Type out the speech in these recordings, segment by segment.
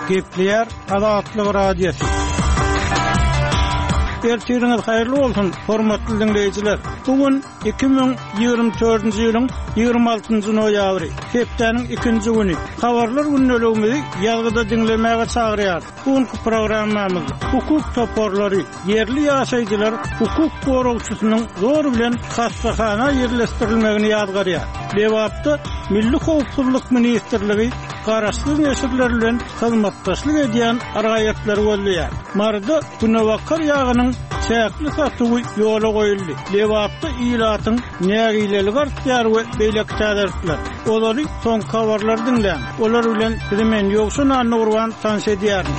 Gepleýär Azatlyk Radiosy. Ertiriňiz haýyrly bolsun, hormatly diňleýjiler! Bu gün 2024-nji ýylyň 26-njy noýabry, hepdäniň ikinji güni. Habarlar gündeligimizi ýazgyda diňlemäge çagyrýarys. Bu günki programmamyzda hukuk toparlary, ýerli ýaşaýjylar hukuk goragçysynyň zor bilen hassahana ýerleşdirilmegini ýazgarýar. Lebapda Milli howpsuzlyk ministrligi garaşsyz neşirler bilen hyzmatdaşlyk edýän raýatlary gözleýär. Maryda günebakar ýagynyň çäkli satuwy ýola goýuldy. Lebapda ilatyň nägileligi artýar we beýleki täzelikler. Ozaly soňky habarlary diňläň. Olar bilen sizi men Ýowşan Annagurban tanyş edýärin.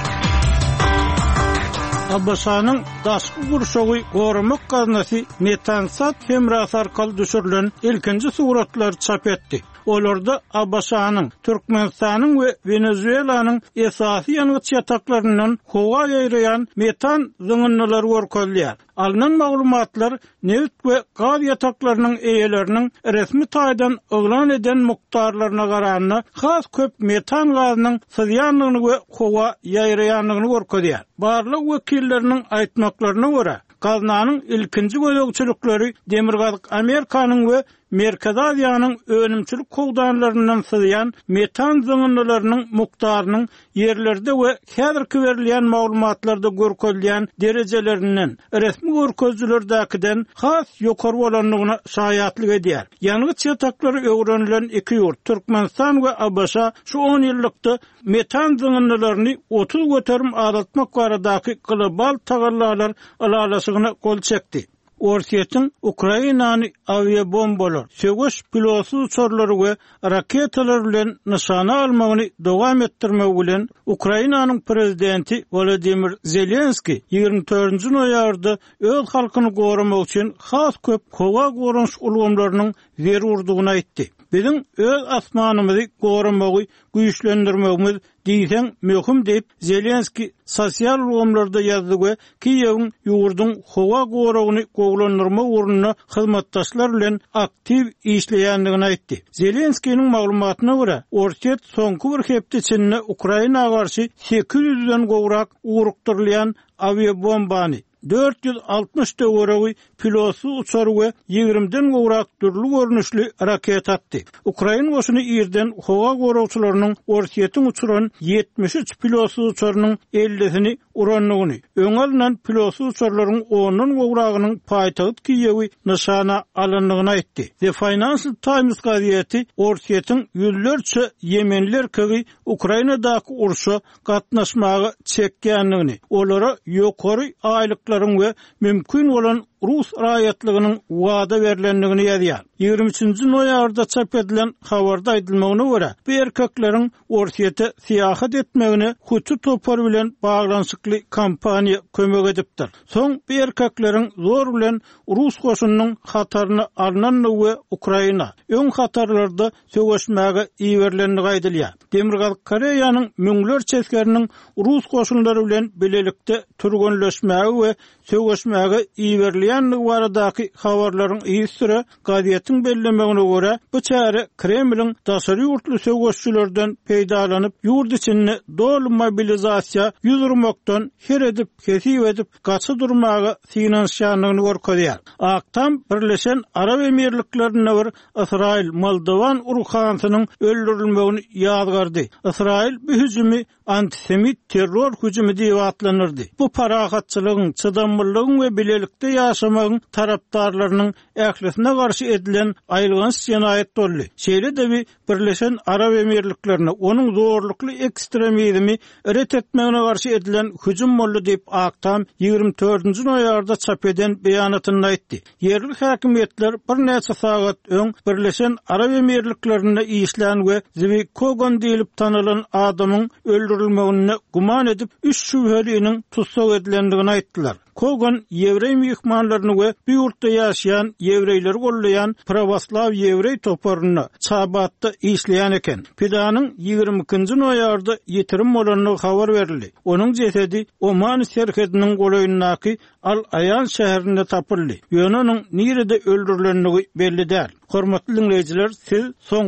ABŞ-nyň Daşky gurşawy goramak gaznasy Metansat hemrasy arkaly düşürilen ilkinji suratlary çap etdi. Olarda ABŞ-nyň, Türkmenistanyň we Wenezuelanyň esasy ýangyç ýataklaryndan howa ýaýraýan metan zyňyndylary görkezilýär. Alnan maglumatlar nebit we gaz ýataklarynyň eýeleriniň resmi taýdan yglan eden mukdarlaryna garanda has köp metan gazynyň syzýandygyny we howa ýaýraýandygyny görkezýär. Barlag wekilleriniň aýtmaklaryna görä, gaznanyň ilkinji gözegçilikleri Demirgazyk Amerikanyň we Merkezi Aziýanyň önümçilik howdanlaryndan syzýan metan zyňyndylarynyň mukdarynyň ýerlerde we häzirki berilýän maglumatlarda görkezilýän derejelerinden, resmi görkezijilerdäkiden has ýokary bolandygyna şaýatlyk edýär. Ýangyç ýataklary öwrenilen iki ýurt, Türkmenistan we ABŞ şu onýyllykda metan zyňyndylaryny 30% azaltmak baradaky global tagallalar ylalaşygyna gol çekdi. Orsýetiň Ukrainany awiabombalar, söweş pilotsyz uçarlary we raketalar bilen nyşana almagyny dowam etdirmegi bilen, Ukrainanyň prezidenti Wolodymyr Zelenskiý 24-nji noýabrda öz halkyny goramak üçin has köp howa goranyş ulgamlarynyň zerurdygyny aýtdy. Biziň öz asmanymyzy goramagy güýçlendirmegimiz diýseň möhüm diýip, Zelenskiý sosial ulgamlarda ýazdy we Kiýewiň ýurduň howa goragyny gowulandyrmak ugrunda hyzmatdaşlar bilen aktiw işleýändigini aýtdy. Zelenskiniň maglumatyna görä, Orsýet soňky bir hepde içinde Ukraina garşy 800-den gowrak ugrukdyrylýan awiabombany, 460 töweregi pilotsyz uçar we ýigrimden gowrak dürli görnüşli raketa atdy. Ukrain goşuny irden howa goragçylarynyň Orsýetiň uçuran 73 pilotsyz uçarynyň ellisini urandygyny, öňe alnan pilotsyz uçarlaryň ondan gowragynyň paýtagt Kiýewi nyşana alandygyny aýtdy. The Financial Times gazeti Orsýetiň ýüzlerçe ýemenli erkegi Ukrainadaky urşa gatnaşmaga çekýändigini, olara ýokary aýlyklaryň we mümkin bolan rus raýatlygynyň wada berlendigini ýazýar. 23-nji noýabrda çap edilen habarda aýdylmagyna görä, bu erkekleriň Orsýete syýahat etmegine Huti topary bilen baglanyşykly kompaniýa kömek edipdir. Soň bu erkekleriň zor bilen rus goşunynyň hataryna alnandygy we Ukraina öň hatarlarda söweşmäge iberilendigi aýdylýar. Demirgazyk Koreýanyň müňlerçe esgeriniň rus goşunlary bilen bilelikde türgenleşmäge we söweşmäge iberilýändigi baradaky habarlaryň yzysüre gazetiň bellemegine görä, bu çäre Kremliň daşary ýurtly söweşçilerden peýdalanyp, ýurt içinde doly mobilizasiýa ýüz urmakdan her edip, hesip edip, gaça durmaga synanyşýandygyny görkezýär. Ak Tam Birleşen Arap Emirliklerinde bir Ysraýyl moldowan ruhanysynyň öldürilmegini ýazgardy. Ysraýyl bu hüjümi antisemit terror hüjümi diýip atlandyrdy. Bu parahatçylygyň, çydamlylygyň we bilelikde ýaşamagyň tarapdarlarynyň ählisine garşy edilen aýylganç jenaýat boldy. Şeýle-de bi Birleşen Arap Emirliklerine onuň zorlukly ekstremizmi ret etmegine garşy edilen hüjüm boldy diýip, Ak Tam 24-nji noýabrda çap eden beýanatynda aýtdy. Ýerli häkimiýetler birnäçe sagat öň Birleşen Arap Emirliklerinde işlän we Zwi Kogan diýlip tanalan adamyň öldürilmeginde güman edip, üç şübheliniň tussag edilendigini aýtdylar. Kogan ýewreý myhmanlaryny we bu ýurtda ýaşaýan ýewreýleri goldaýan prawoslaw ýewreý toparynda, Çabatda işleýän eken. Pidanyň 22-nji noýabrda ýitirim bolandygy habar berildi. Onuň jesedi Oman serhediniň golaýyndaky Al-Aýan şäherinde tapyldy. Ýöne onuň nirede öldürilendigi belli däl. Hormatly diňleýjiler, siz soňky.